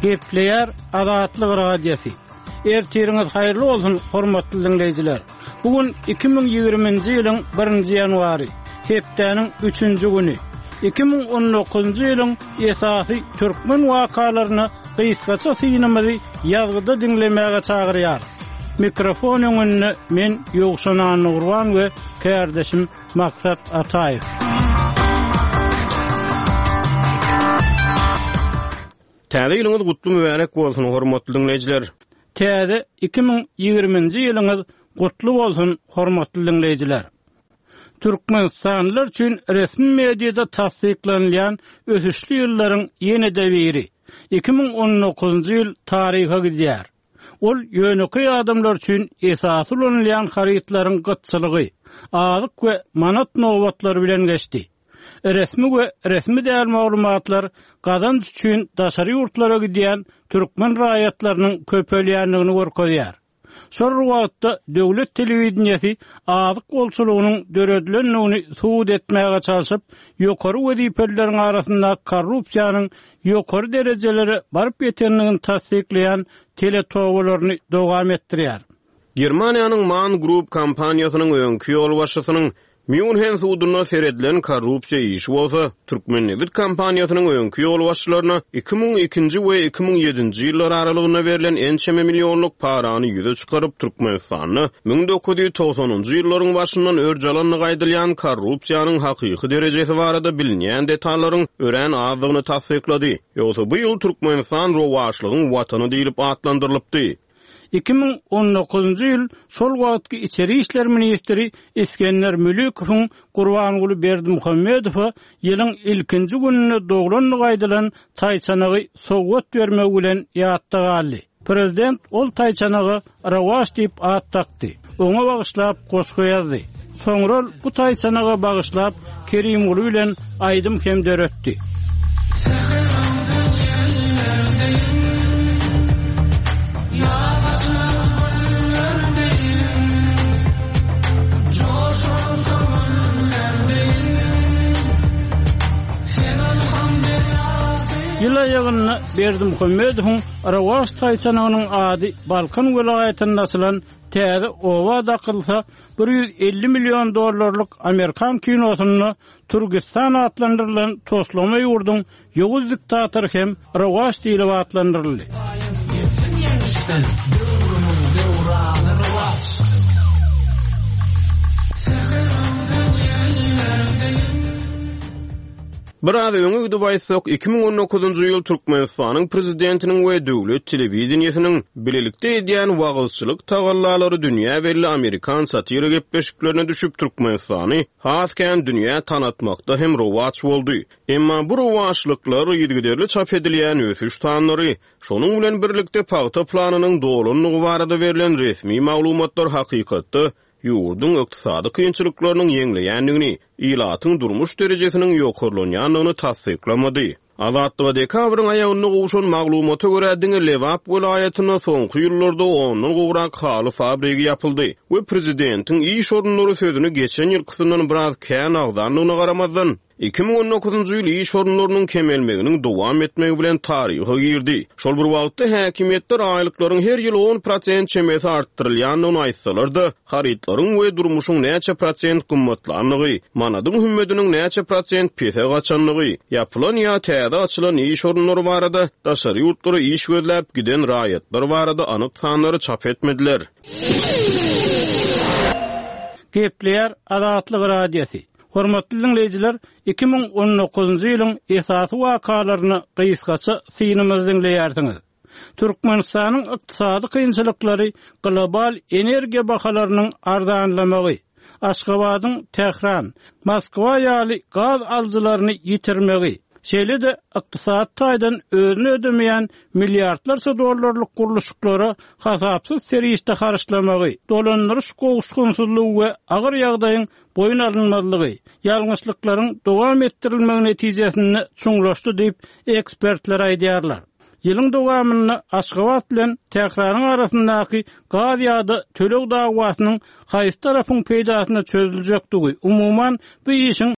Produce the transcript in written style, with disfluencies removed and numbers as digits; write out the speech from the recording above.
Gepleýär Azatlyk Radiosy. Ertiriňiz haýyrly bolsun, hormatly diňleýjiler! Bu gün 2020-nji ýylyň birinji ýanwary, hepdäniň üçünji güni. 2019-njy ýylyň esasy türkmen wakalaryna gysgaça synymyzy ýazgyda diňlemäge çagyrýarys. Mikrofon öňünde men Ýowşan Annagurban we kärdeşim Maksat Ataýew. Täze ýylyňyz gutly mübärek bolsun, hormatly diňleýjiler! Täze 2020-nji ýylyňyz gutly bolsun, hormatly diňleýjiler! Türkmenistanlylar üçin resmi mediada tassyklanylýan ösüşli ýyllaryň ýene-de biri, 2019-njy ýyl taryha gidýär. Ol ýönekeý adamlar üçin esasy ulanylýan harytlaryň gytçylygy, azyk we manat nobatlary bilen geçdi. Resmi we resmi däl maglumatlar gazanç üçin daşary ýurtlara gidýän türkmen raýatlarynyň köpelýändigini görkezýär. Şol bir wagtda döwlet telewideniýesi azyk bolçulygynyň döredilendigini subut etmäge çalşyp, ýokary wezipelileriň arasynda korrupsiýanyň ýokary derejelere baryp ýetendigini tassyklaýan teletobalaryny dowam etdirýär. Germaniýanyň Man Group kompaniýasynyň öňki ýolbaşçysynyň Mýunhen sudunda seredilen korrupsiýa işi bolsa, Türkmennebit kompaniýasynyň öňki ýolbaşçylaryna 2002-nji we 2007-nji ýyllar aralygynda berlen ençeme millionlyk parany ýüze çykaryp, Türkmenistanda 1990-njy ýyllaryň başyndan örç alandygy aýdylýan korrupsiýanyň hakyky derejesi barada bilinýän detallaryň örän azdygyny tassyklady. Ýogsa bu ýyl Türkmenistan rowaçlygyň watany diýlip atlandyrylypdy. 2019-njy ýyl şol wagtky içeri işler ministri Isgender Mülükowyň Gurbanguly Berdimuhamedowa ýylyň ilkinji gününde doglandygy aýdylan taýçanagy sowgat bermegi bilen ýatda galdy. Prezident ol taýçanaga Rowaç diýip at dakdy. Oňa bagyşlap goşgy ýazdy. Soňra ol bu taýçanaga bagyşlap Kerimguly bilen aýdym hem döretdi. Ýyl aýagynda Berdimuhamedowyň Rowaç taýçanagynyň ady Balkan welaýatynda açylan täze oba dakylsa, 150 million dollarlyk amerikan kinosynda Türgistan atlandyrylan toslama ýurduň ýowuz diktatory hem Rowaç diýlip atlandyryldy. Biraz öňe gidip aýtsak, 2019-njy ýyl Türkmenistanyň Prezidentiniň we döwlet telewideniýesiniň bilelikde edýän wagyzçylyk tagallalary dünýä belli amerikan satira gepleşiklerine düşüp, Türkmenistany has kän dünýä tanatmakda hem rowaç boldy. Emma bu rowaçlyklar yzygiderli çap edilýän ösüş sanlary, şonuň bilen birlikde pagta planynyň dolandygy barada berlen resmi maglumatlar hakykatda ýurduň ykdysady kynçylyklarynyň ýeňleýändigini, ilatyň durmuş derejesiniň ýokarlanýandygyny tassyklamady. Azatlyga dekabryň aýagynda gowşan maglumata görä, diňe Lebap welaýatynda soňky ýyllarda ondan gowrak haly fabrigi ýapyldy we prezidentiň iş orunlary sözüni geçen ýylkysyndan biraz kän agzandygyna garamazdan, 2019-njy ýyl iş orunlarynyň kemelmeginiň dowam etmegi bilen taryha girdi. Şol bir wagtda, häkimiýetler aýlyklaryň her ýyl on prosent çemesi artdyrylýandygyny aýtsalar-da, harytlaryň we durmuşyň näçe prosent gymmatlandygy, manadyň hümmediniň näçe prosent pese gaçandygy, ýapylan ýa täze açylan iş orunlary barada, daşary ýurtlara iş gözläp giden raýatlar barada anyk sanlary çap etmediler. Gepleýär Azatlyk Radiosy. Hormatly diňleýjiler, 2019-njy ýylyň esasy wakalaryna gysgaça synymyzy diňleýärsiňiz. Türkmenistanyň ykdysady kynçylyklary global energiýa bahalarynyň arzanlamagy, Aşgabadyň Tähran, Moskwa ýaly gaz alyjylaryny ýitirmegi, şeýle-de ykdysady taýdan özüni ödemeýän milliardlarça dollarlyk gurluşyklara hasapsyz serişde harçlamagy, dolandyryş gowuşgynsyzlygy we agyr ýagdaýyň boýun alynmazlygy, ýalňyşlyklaryň dowam etdirilmegi netijesinde çuňlaşdy diýip, ekspertler aýdýarlar. Ýylyň dowamynda Aşgabat bilen Tähranyň arasyndaky gaz ýa-da töleg dawasynyň haýsy tarapyň peýdasyna çözüljekdigi, umuman, bu işiň.